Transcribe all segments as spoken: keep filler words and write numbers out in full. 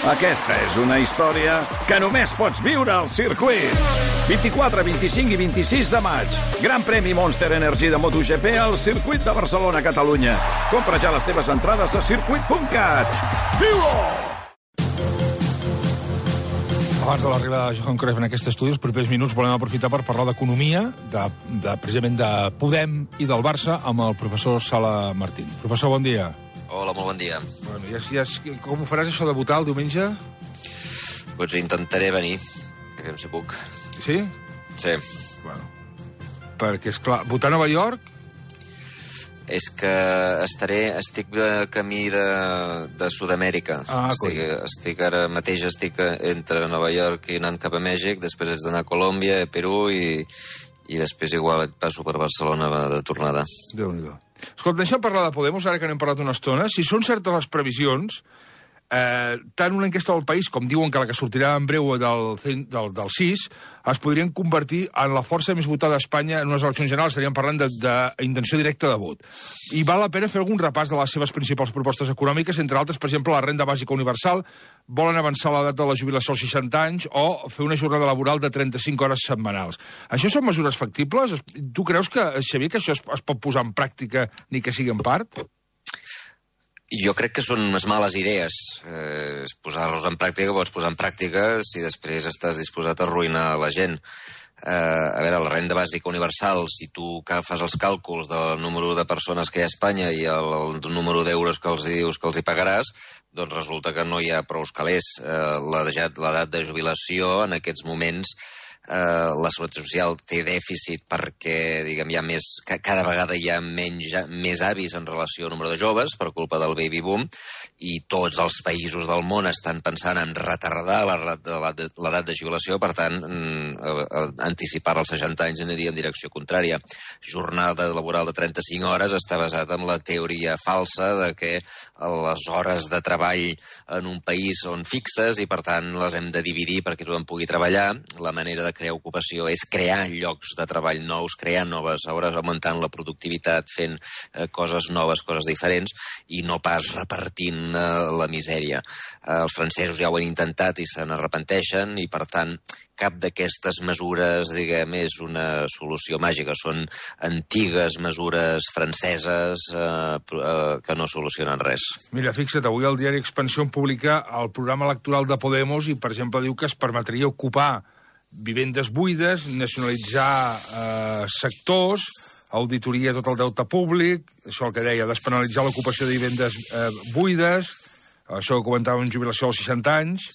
Aquesta és una història que només pots viure al circuit. vint-i-quatre, vint-i-cinc i vint-i-sis de maig. Gran premi Monster Energy de MotoGP al circuit de Barcelona, Catalunya. Compra ja les teves entrades a circuit punt cat. Viu-ho! Abans de l'arribada de Johan Cruyff en aquest estudi, els propers minuts volem aprofitar per parlar d'economia, de, de, precisament de Podem i del Barça, amb el professor Sala Martín. Professor, bon dia. Hola, molt bon dia. Bueno, ja, ja, com ho faràs, això de votar el diumenge? Doncs intentaré venir, que si puc. Sí? Sí. Bueno, perquè, esclar, votar a Nova York... És que estaré, estic de camí de, de Sud-amèrica. Ah, estic, estic ara mateix estic entre Nova York i anant cap a Mèxic, després haig d'anar a Colòmbia, a Perú i, i després igual passo per Barcelona de tornada. Déu-n'hi-do. Escolta, deixa'm parlar de Podemos, ara que n'hem parlat una estona. Si són certes les previsions, eh, tant una enquesta del País, com diuen que la que sortirà en breu del, del, del sis, es podrien convertir en la força més votada a Espanya en unes eleccions generals. Estaríem parlant d'intenció directa de vot. I val la pena fer algun repàs de les seves principals propostes econòmiques, entre altres, per exemple, la renda bàsica universal, volen avançar l'edat de la jubilació als seixanta anys o fer una jornada laboral de trenta-cinc hores setmanals. Això són mesures factibles? Tu creus que, Xavier, que això es, es pot posar en pràctica ni que sigui en part? Jo crec que són unes males idees. Eh, posar-los en pràctica, pots posar en pràctica si després estàs disposat a arruïnar la gent. Eh, a veure, la renda bàsica universal, si tu fas els càlculs del número de persones que hi ha a Espanya i el, el número d'euros que els dius que els hi pagaràs, doncs resulta que no hi ha prou calés. Eh, l'edat de jubilació en aquests moments... Uh, la Seguretat Social té dèficit perquè, diguem, hi ha més, cada vegada hi ha menys, més avis en relació al número de joves per culpa del baby boom, i tots els països del món estan pensant en retardar l'edat de jubilació, per tant, anticipar als seixanta anys aniria en direcció contrària. Jornada laboral de trenta-cinc hores està basat en la teoria falsa de que les hores de treball en un país són fixes i, per tant, les hem de dividir perquè tothom pugui treballar. La manera de crear ocupació és crear llocs de treball nous, crear noves hores, augmentant la productivitat, fent eh, coses noves, coses diferents, i no pas repartint eh, la misèria. Eh, els francesos ja ho han intentat i se n'arrepenteixen, i per tant cap d'aquestes mesures, diguem, és una solució màgica. Són antigues mesures franceses eh, eh, que no solucionen res. Mira, fixa't, avui el diari Expansión publica el programa electoral de Podemos i, per exemple, diu que es permetria ocupar vivendes buides, nacionalitzar eh, sectors, auditoria tot el deute públic, això el que deia, despenalitzar l'ocupació de vivendes eh, buides, això que comentàvem, jubilació als seixanta anys...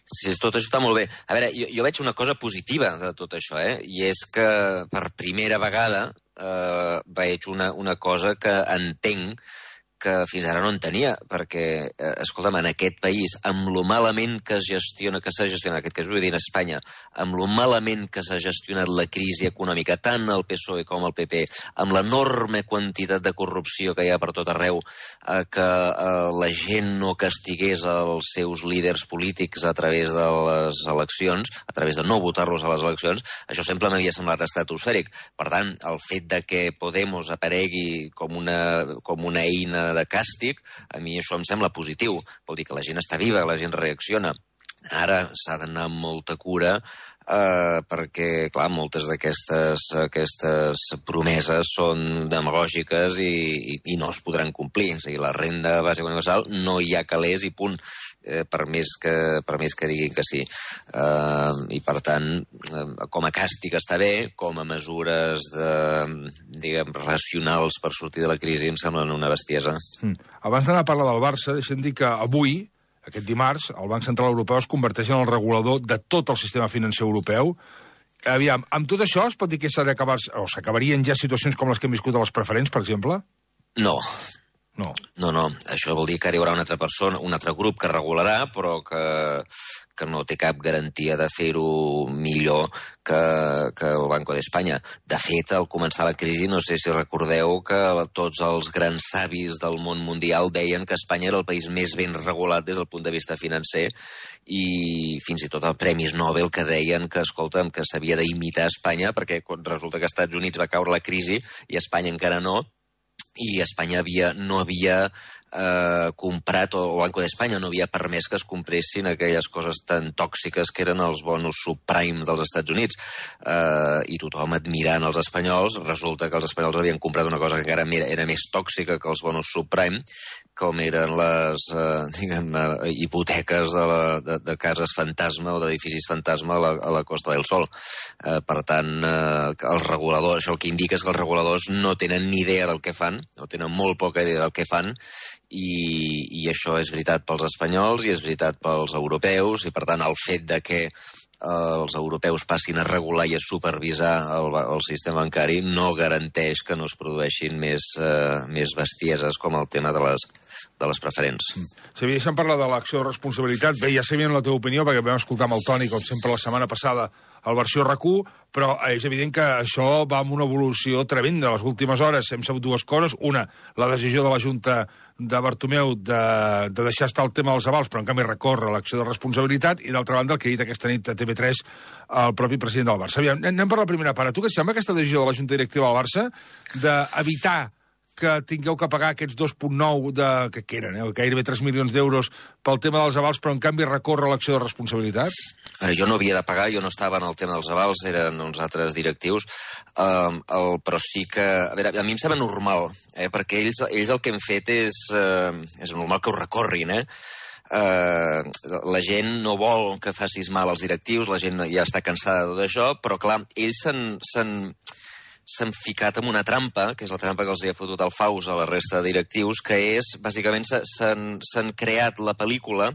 Sí, tot això està molt bé. A veure, jo, jo veig una cosa positiva de tot això, eh? I és que per primera vegada eh, veig una, una cosa que entenc que fins ara no en tenia, perquè, eh, escolta'm, en aquest país, amb lo malament que es gestiona, que s'ha gestionat, aquest cas vull dir en Espanya, amb lo malament que s'ha gestionat la crisi econòmica, tant el P S O E com el P P, amb l'enorme quantitat de corrupció que hi ha per tot arreu, eh, que eh, la gent no castigués els seus líders polítics a través de les eleccions, a través de no votar-los a les eleccions, això sempre m'havia semblat estratosfèric. Per tant, el fet de que Podemos aparegui com una, com una eina de càstig, a mi això em sembla positiu. Vol dir que la gent està viva, la gent reacciona. Ara s'ha d'anar amb molta cura eh, perquè, clar, moltes d'aquestes aquestes promeses són demagògiques i, i, i no es podran complir. És a dir, la renda bàsica universal no hi ha calés i punt, eh, per, més que, per més que diguin que sí. Eh, I, per tant, eh, com a càstig està bé, com a mesures de, diguem, racionals per sortir de la crisi em semblen una bestiesa. Mm. Abans d'anar a parlar del Barça, deixem dir que avui, aquest dimarts, el Banc Central Europeu es converteix en el regulador de tot el sistema financer europeu. Aviam, amb tot això es pot dir que s'acabarien ja situacions com les que hem viscut a les preferents, per exemple? No. No. No, no. Això vol dir que arribarà una altra persona, un altre grup que regularà, però que, que no té cap garantia de fer-ho millor que, que el Banco d'Espanya. De fet, al començar la crisi, no sé si recordeu que tots els grans savis del món mundial deien que Espanya era el país més ben regulat des del punt de vista financer, i fins i tot els premis Nobel que deien que, escolta'm, que s'havia d'imitar Espanya, perquè resulta que als Estats Units va caure la crisi i Espanya encara no, i Espanya havia, no havia eh, comprat, o, o Banco d'Espanya no havia permès que es compressin aquelles coses tan tòxiques que eren els bonus subprime dels Estats Units. Eh, I tothom admirant els espanyols, resulta que els espanyols havien comprat una cosa que encara era, era més tòxica que els bonus subprime, com eren les eh, diguem, eh, hipoteques de, la, de, de cases fantasma o d'edificis fantasma a la, a la Costa del Sol. Eh, per tant, eh, els reguladors, això el que indica és que els reguladors no tenen ni idea del que fan, no tenen molt poca idea del que fan, i, i això és veritat pels espanyols i és veritat pels europeus, i per tant el fet de que els europeus passin a regular i a supervisar el, el sistema bancari no garanteix que no es produeixin més, eh, més bestieses com el tema de les, de les preferents. Si havíem parlat de l'acció de responsabilitat, bé, ja sabíem la teva opinió, perquè vam escoltar amb el Toni, com sempre, la setmana passada, al versió R A C U, però és evident que això va amb una evolució tremenda. Les últimes hores hem sabut dues coses. Una, la decisió de la Junta de Bartomeu de, de deixar estar el tema dels avals, però en canvi recorre l'acció de responsabilitat, i d'altra banda el que ha dit aquesta nit a T V tres el propi president del Barça. Aviam, anem per la primera part. A tu què et sembla aquesta decisió de la Junta Directiva del Barça d'evitar que tingueu que pagar aquests dos coma nou de, que, que eren, eh, gairebé tres milions d'euros pel tema dels avals, però en canvi recorre l'acció de responsabilitat? Ara, jo no havia de pagar, jo no estava en el tema dels avals, eren uns altres directius, um, el, però sí que... A veure, a mi em sembla normal, eh, perquè ells, ells el que han fet és... Uh, és normal que ho recorrin, eh? Uh, la gent no vol que facis mal als directius, la gent ja està cansada de tot això, però clar, ells s'han... s'han ficat en una trampa, que és la trampa que els hi ha fotut el Faus a la resta de directius, que és, bàsicament, s'han creat la pel·lícula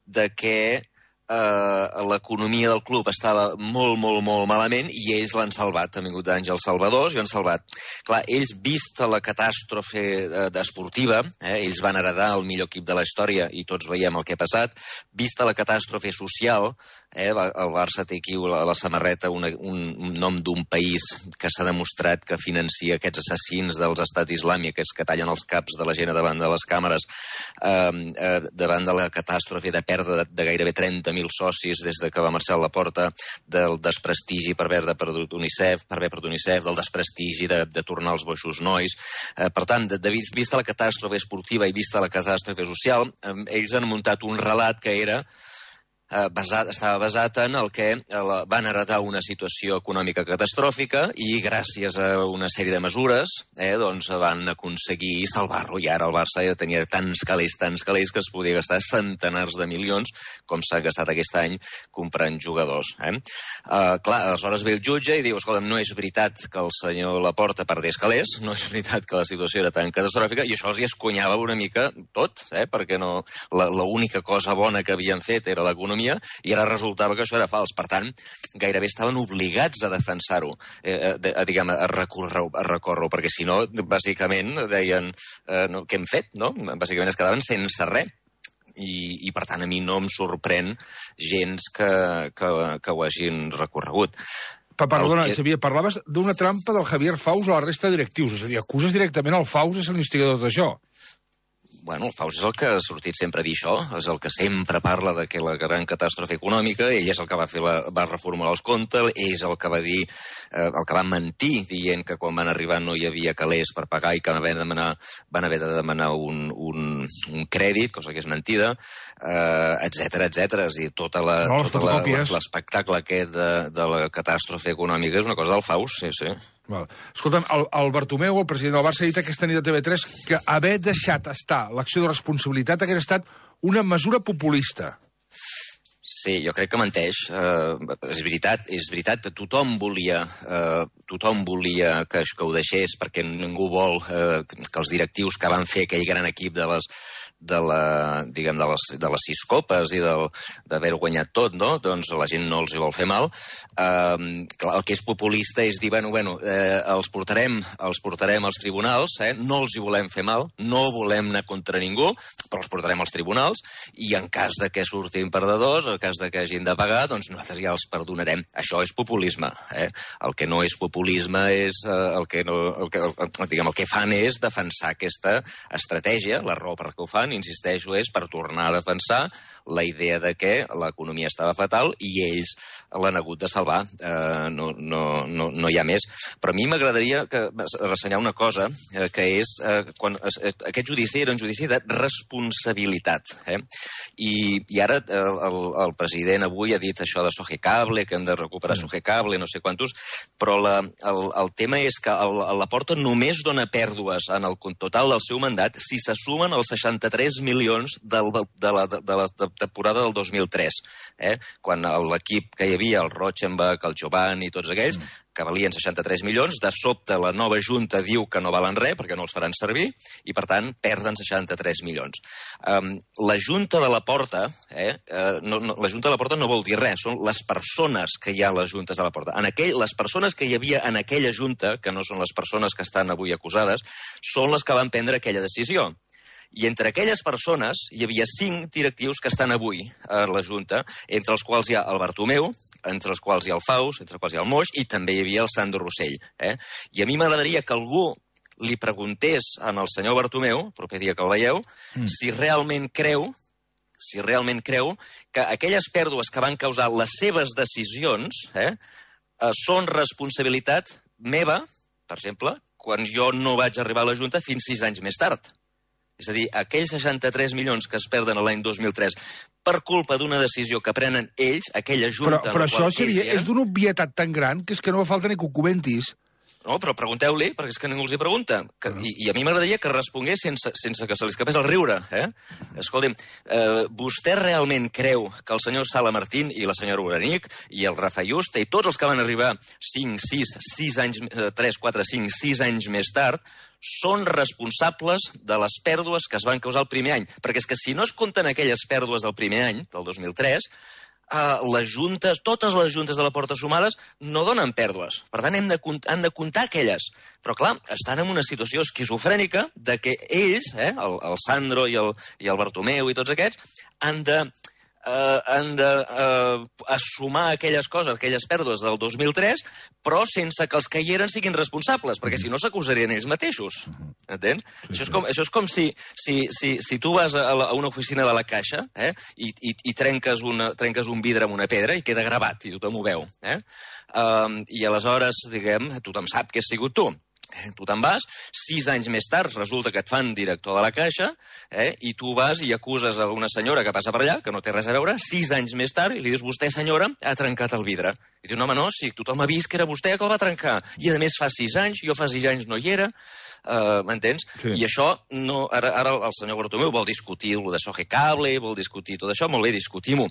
de que eh, l'economia del club estava molt, molt, molt malament i ells l'han salvat. Han vingut d'Àngels Salvadors i han salvat. Clar, ells, vista la catàstrofe eh, esportiva, eh, ells van heredar el millor equip de la història i tots veiem el que ha passat, vista la catàstrofe social, Eh, el Barça té aquí a la samarreta una, un, un nom d'un país que s'ha demostrat que financia aquests assassins dels estat islàmic, aquests que tallen els caps de la gent davant de les càmeres, eh, eh, davant de la catàstrofe de pèrdua de, de gairebé trenta mil socis des de que va marxar a la porta, del desprestigi per haver de perdut UNICEF, per haver perdut UNICEF, del desprestigi de, de tornar els boixos nois. Eh, per tant, de, de, vista la catàstrofe esportiva i vista la catàstrofe social, eh, ells han muntat un relat que era Eh, basat, estava basat en el que eh, van heretar una situació econòmica catastròfica i gràcies a una sèrie de mesures eh, doncs van aconseguir salvar-lo, i ara el Barça ja tenia tants calés, tants calés que es podia gastar centenars de milions com s'ha gastat aquest any comprant jugadors. Eh? Eh, clar, aleshores ve el jutge i diu, escolta, no és veritat que el senyor Laporta perdés calés, no és veritat que la situació era tan catastròfica, i això els hi escunyava una mica tot, eh? perquè no, l'única cosa bona que havien fet era l'economia, i ara resultava que això era fals. Per tant, gairebé estaven obligats a defensar-ho, eh, a, a, diguem, a recórrer-ho, a recórrer-ho, perquè si no, bàsicament, deien eh, no, què hem fet, no? Bàsicament es quedaven sense res. I, i per tant, a mi no em sorprèn gens que, que, que ho hagin recorregut. Pa, perdona, que... Xavier, parlaves d'una trampa del Javier Faus a la resta de directius, és a dir, acuses directament al Faus de ser l'instigador d'això. Bueno, el Faus és el que ha sortit sempre a dir això, és el que sempre parla de que la gran catàstrofe econòmica, ell és el que va fer la, va reformular els comptes, ell és el que va dir, eh, el que va mentir dient que quan van arribar no hi havia calés per pagar i que van haver de demanar, van haver de demanar un, un, un crèdit, cosa que és mentida, eh, etcètera, etcètera. És a dir, tota la, no, tota l'espectacle aquest de, de la catàstrofe econòmica és una cosa del Faus, sí, sí. Val. Escolta'm, el, el Bartomeu, el president del Barça, ha dit aquesta nit a T V tres que haver deixat estar l'acció de responsabilitat hagués estat una mesura populista. Sí, jo crec que menteix. Uh, és veritat, és veritat que tothom volia, uh, tothom volia que, que ho deixés, perquè ningú vol uh, que els directius que van fer aquell gran equip de les, de, la, diguem, de, les, de les sis copes i d'haver guanyat tot, no? Doncs la gent no els hi vol fer mal. Uh, clar, el que és populista és dir, bueno, bueno eh, els, portarem, els portarem als tribunals, eh? No els hi volem fer mal, no volem anar contra ningú, però els portarem als tribunals, i en cas de que surtin perdedors, en cas de que hagin de pagar, doncs nosaltres ja els perdonarem. Això és populisme. Eh? El que no és populisme és eh, el, que no, el, que, el, diguem, el que fan és defensar aquesta estratègia. La raó per què ho fan, insisteixo, és per tornar a defensar la idea de que l'economia estava fatal i ells l'han hagut de salvar. Eh, no, no, no, no hi ha més. Però a mi m'agradaria que, ressenyar una cosa, eh, que és... Eh, quan, eh, aquest judici era un judici de responsabilitat. Eh? I, I ara eh, el, el president avui ha dit això de Sogecable, que hem de recuperar mm. Sogecable, no sé quantos, però la, el, el tema és que el, la Porta només dona pèrdues en el total del seu mandat si se sumen els seixanta-tres milions del, de, la, de la temporada del dos mil tres, eh? Quan l'equip que hi havia, el Rochenbach, el Giovanni i tots aquells, mm. que valien seixanta-tres milions, de sobte la nova Junta diu que no valen res perquè no els faran servir i, per tant, perden seixanta-tres milions. Um, la Junta de la Porta, eh, uh, no, no, la Junta de la Porta no vol dir res, són les persones que hi ha a les Juntes de la Porta. En aquell, les persones que hi havia en aquella Junta, que no són les persones que estan avui acusades, són les que van prendre aquella decisió. I entre aquelles persones hi havia cinc directius que estan avui a la Junta, entre els quals hi ha el Bartomeu, entre els quals hi ha el Faus, entre els quals hi ha el Moix, i també hi havia el Sandro Rossell. Eh? I a mi m'agradaria que algú li preguntés al senyor Bartomeu, el proper dia que el veieu, mm. si realment creu si realment creu que aquelles pèrdues que van causar les seves decisions eh, eh, són responsabilitat meva, per exemple, quan jo no vaig arribar a la Junta fins sis anys més tard. És a dir, aquells seixanta-tres milions que es perden l'any dos mil tres per culpa d'una decisió que prenen ells, aquella Junta... Però, però això seria, eren... és d'una obvietat tan gran que és que no fa falta ni que ho comentis. No, però pregunteu-li, perquè és que ningú els hi pregunta. Que, i, I a mi m'agradaria que respongués sense, sense que se li escapés el riure. Eh? Escolti'm, eh, vostè realment creu que el senyor Sala Martín i la senyora Uranic i el Rafa Yuste i tots els que van arribar cinc, sis, sis anys, tres, quatre, cinc, sis anys més tard són responsables de les pèrdues que es van causar el primer any? Perquè és que si no es compten aquelles pèrdues del primer any, del dos mil tres... Uh, les juntes, totes les juntes de la Porta sumades no donen pèrdues. Per tant, hem de, han de comptar aquelles. Però, clar, estan en una situació esquizofrènica de que ells, eh, el, el Sandro i el, i el Bartomeu i tots aquests, han de, uh, han de uh, assumar aquelles coses, aquelles pèrdues del dos mil tres, però sense que els que hi eren siguin responsables, perquè si no s'acusarien ells mateixos. Entens? Sí, això, és com, això és com si, si, si, si tu vas a, la, a una oficina de la Caixa eh, i, i, i trenques, una, trenques un vidre amb una pedra i queda gravat, i tothom ho veu. Eh? Um, I aleshores, diguem, tothom sap que has sigut tu. Tu te'n vas, sis anys més tard resulta que et fan director de la Caixa eh, i tu vas i acuses a una senyora que passa per allà, que no té res a veure, sis anys més tard, i li dius, vostè, senyora, ha trencat el vidre. I diu, no, home, no, si tothom ha vist que era vostè que el va trencar. I, a més, fa sis anys, jo fa sis anys no hi era, uh, m'entens? Sí. I això, no, ara, ara el senyor Bartomeu vol discutir el de Sogecable, vol discutir tot això, molt bé, discutim-ho.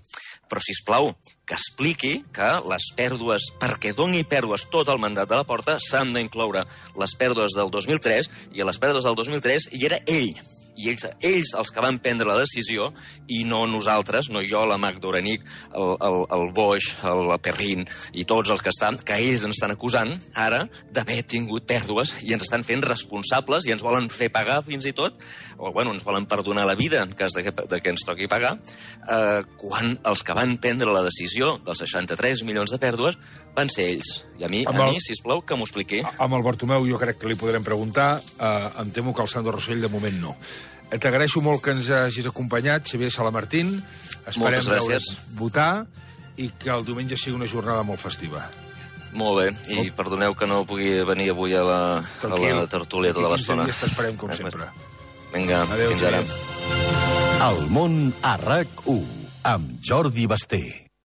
Però, sisplau, que expliqui que les pèrdues, perquè doni pèrdues tot el mandat de la Porta, s'han d'incloure les pèrdues del dos mil tres, i a les pèrdues del dos mil tres hi era ell. I ells, ells els que van prendre la decisió, i no nosaltres, no jo, la Magda Uranic, el, el, el Boix, el Perrin, i tots els que estan, que ells ens estan acusant, ara, d'haver tingut pèrdues, i ens estan fent responsables, i ens volen fer pagar fins i tot, o, bueno, ens volen perdonar la vida en cas de que, de que ens toqui pagar, eh, quan els que van prendre la decisió dels seixanta-tres milions de pèrdues van ser ells. I a mi, a el, mi sisplau, que m'ho expliqui. Amb el Bartomeu jo crec que li podrem preguntar, eh, em temo que el Sandro Rossell de moment no. T'agraeixo molt que ens hagis acompanyat, Xavier Sala Martín. Esperem veure't votar i que el diumenge sigui una jornada molt festiva. Molt bé, i oh. perdoneu que no pugui venir avui a la, a la tertúlia tota l'estona. I t'esperem, com sempre. Vinga, adéu, fins ara. El món a RAC u, amb Jordi Basté.